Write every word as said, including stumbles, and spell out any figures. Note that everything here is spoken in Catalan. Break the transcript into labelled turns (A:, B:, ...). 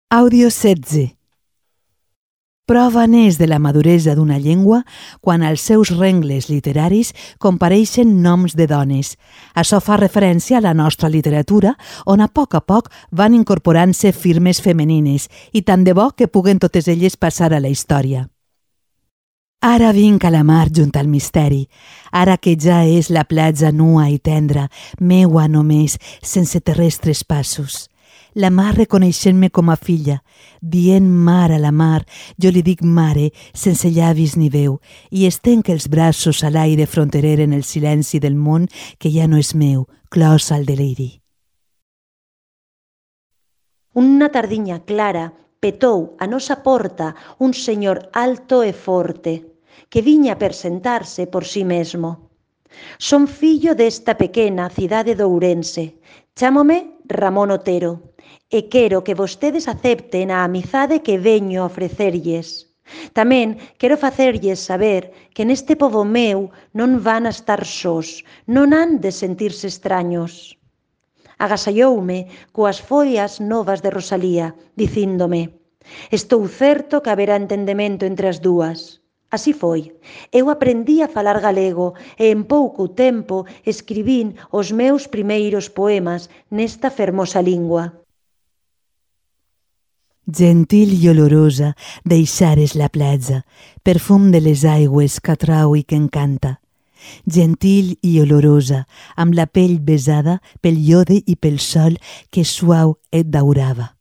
A: Àudio setze. Prova n'és de la maduresa d'una llengua quan als seus rengles literaris compareixen noms de dones. Això fa referència a la nostra literatura, on a poc a poc van incorporant-se firmes femenines i tant de bo que puguen totes elles passar a la història. Ara vinc a la mar junt al misteri, ara que ja és la platja nua i tendra, meua només, sense terrestres passos. La mar reconeixent-me com a filla, dient mar a la mar, jo li dic mare, sense llavis ni veu, i estenc els braços a l'aire fronterer en el silenci del món que ja no és meu, clos al deliri.
B: Una tardiña clara petou a nosa porta un señor alto e forte, que viña per sentarse por sí mesmo. Son fillo desta pequena cidade de Ourense, chámome Ramón Otero, e quero que vostedes acepten a amizade que veño a ofrecerlles. Tamén quero facerlles saber que neste pobo meu non van a estar sós, non han de sentirse extraños. Agasalloume coas follas novas de Rosalía, dicíndome: estou certo que haberá entendemento entre as dúas. Así foi. Eu aprendí a falar galego e en pouco tempo escribín os meus primeiros poemas nesta fermosa lingua.
A: Gentil i olorosa deixares la platja, perfum de les aigües que atrau i que encanta. Gentil i olorosa, amb la pell besada pel iode i pel sol que suau et daurava.